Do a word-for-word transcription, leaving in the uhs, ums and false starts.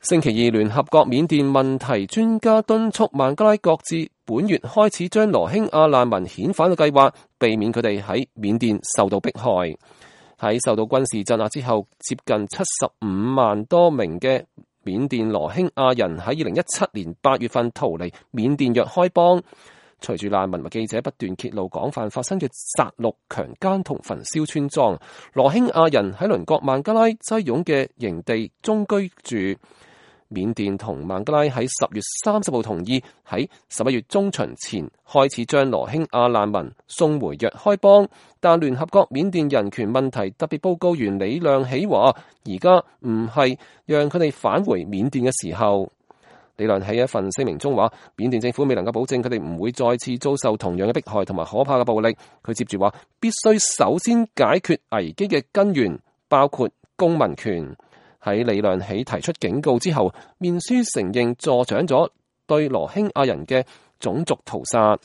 星期二，聯合國緬甸問題專家敦促孟加拉擱置本月開始將羅興亞難民遣返嘅計劃，避免佢哋喺緬甸受到迫害。喺受到軍事鎮壓之後，接近七十五萬多名嘅緬甸羅興亞人喺二零一七年八月份逃離緬甸若開邦。隨住難民和記者不斷揭露廣泛發生嘅殺戮、強姦同焚燒村莊，羅興亞人喺鄰國孟加拉擠擁嘅營地中居住。緬甸同孟加拉喺十月三十號同意喺十一月中旬前開始將羅興亞難民送回若開邦，但聯合國緬甸人權問題特別報告員李亮喜話，而家唔係讓佢哋返回緬甸嘅時候。李亮喺一份聲明中話，緬甸政府未能夠保證佢哋唔會再次遭受同樣嘅迫害同埋可怕嘅暴力。佢接住話，必須首先解決危機嘅根源，包括公民權。喺李亮喜提出警告之後，面書承認助長咗對羅興亞人嘅種族屠殺。